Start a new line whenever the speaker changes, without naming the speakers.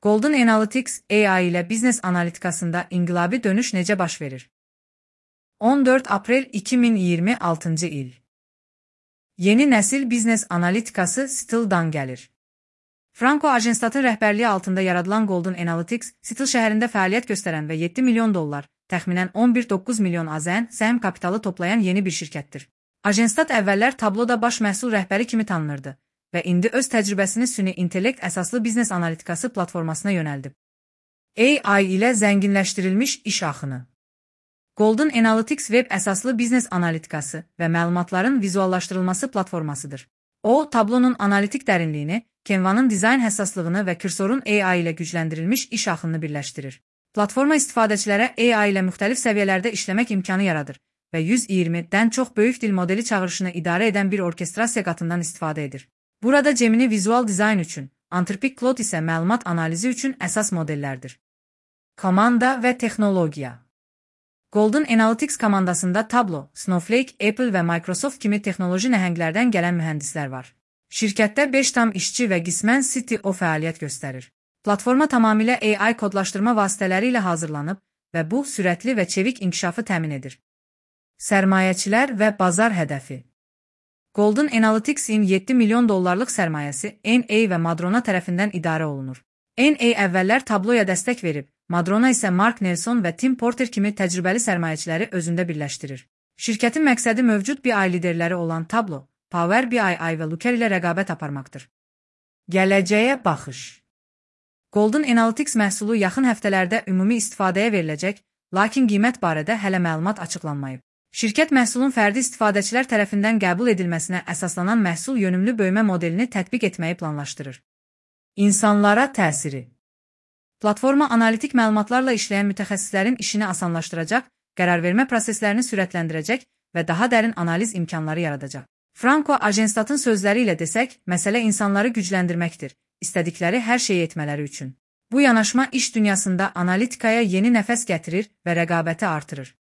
Golden Analytics AI ilə biznes analitikasında inqilabi dönüş necə baş verir? 14 aprel 2026 il. Yeni nəsil biznes analitikası Seattle-dan gəlir. Franco Agenstat'ın rəhbərliyi altında yaradılan Golden Analytics, Seattle şəhərində fəaliyyət göstərən və 7 milyon dollar, təxminən 11,9 milyon AZN səhm kapitalı toplayan yeni bir şirkətdir. Agenstat əvvəllər tabloda baş məhsul rəhbəri kimi tanınırdı və indi öz təcrübəsini süni intellekt əsaslı biznes analitikası platformasına yönəldib. AI ilə zənginləşdirilmiş iş axını. Golden Analytics web əsaslı biznes analitikası və məlumatların vizuallaşdırılması platformasıdır. O, tablonun analitik dərinliyini, Canva'nın dizayn həssaslığını və kursorun AI ilə gücləndirilmiş iş axınını birləşdirir. Platforma istifadəçilərə AI ilə müxtəlif səviyyələrdə işləmək imkanı yaradır və 120-dən çox böyük dil modeli çağırışını idarə edən bir orkestrasiya qatından istifadə edir. Burada Gemini vizual dizayn üçün, Anthropic Claude isə məlumat analizi üçün əsas modellərdir. Komanda və texnologiya. Golden Analytics komandasında Tableau, Snowflake, Apple və Microsoft kimi texnoloji nəhənglərdən gələn mühəndislər var. Şirkətdə 5 tam işçi və qismən CTO fəaliyyət göstərir. Platforma tamamilə AI kodlaşdırma vasitələri ilə hazırlanıb və bu, sürətli və çevik inkişafı təmin edir. Sərmayəçilər və bazar hədəfi. Golden Analytics-in 7 milyon dollarlıq sərmayəsi NA və Madrona tərəfindən idarə olunur. NA əvvəllər Tableau'ya dəstək verib, Madrona isə Mark Nelson və Tim Porter kimi təcrübəli sərmayəçiləri özündə birləşdirir. Şirkətin məqsədi mövcud BI liderləri olan Tableau, Power BI və Looker ilə rəqabət aparmaqdır. Gələcəyə baxış. Golden Analytics məhsulu yaxın həftələrdə ümumi istifadəyə veriləcək, lakin qiymət barədə hələ məlumat açıqlanmayıb. Şirkət məhsulun fərdi istifadəçilər tərəfindən qəbul edilməsinə əsaslanan məhsul yönümlü böyümə modelini tətbiq etməyi planlaşdırır. İnsanlara təsiri. Platforma analitik məlumatlarla işləyən mütəxəssislərin işini asanlaşdıracaq, qərarvermə proseslərini sürətləndirəcək və daha dərin analiz imkanları yaradacaq. Franco Agenstat'ın sözləri ilə desək, məsələ insanları gücləndirməkdir, istədikləri hər şeyi etmələri üçün. Bu yanaşma iş dünyasında analitikaya yeni nəfəs gətirir və rəqabəti artırır.